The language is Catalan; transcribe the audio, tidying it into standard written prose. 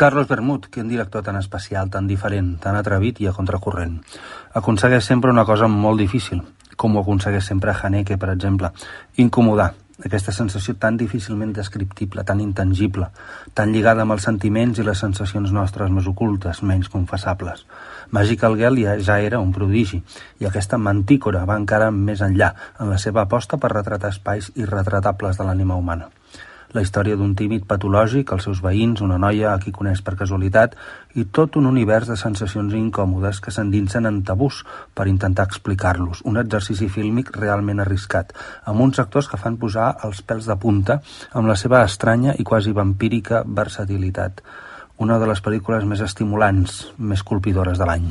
Carlos Bermud, quin director tan especial, tan diferent, tan atrevit i a contracorrent. Aconsegueix sempre una cosa molt difícil, com ho aconsegueix sempre Haneke, per exemple, incomodar. Aquesta sensació tan difícilment descriptible, tan intangible, tan lligada amb els sentiments i les sensacions nostres més ocultes, menys confessables. Magical Girl ja era un prodigi, i aquesta Mantícora va encara més enllà en la seva aposta per retratar espais irretratables de l'ànima humana. La història d'un tímid patològic, els seus veïns, una noia a qui coneix per casualitat i tot un univers de sensacions incòmodes que s'endinsen en tabús per intentar explicar-los. Un exercici fílmic realment arriscat, amb uns actors que fan posar els pèls de punta amb la seva estranya i quasi vampírica versatilitat. Una de les pel·lícules més estimulants, més colpidores de l'any.